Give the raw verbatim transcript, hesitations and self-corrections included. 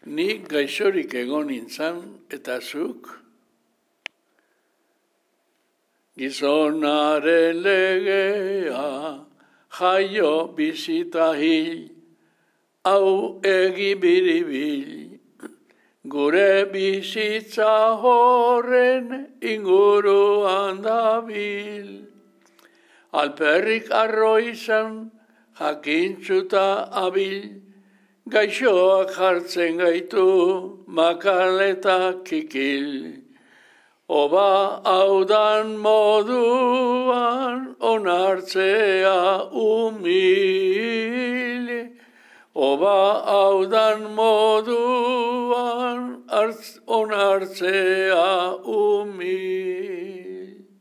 Ni gaixorik egon nintzen eta zuk. Gizonaren legea, jaio bizita hil, hau egi biribil, gure bizitza horren inguruan dabil. Alperrik arroizan, jakintzuta abil, gaixoak jartzen gaitu, makaleta kikil. Oba haudan moduan, onartzea umil. Oba haudan moduan, onartzea umil.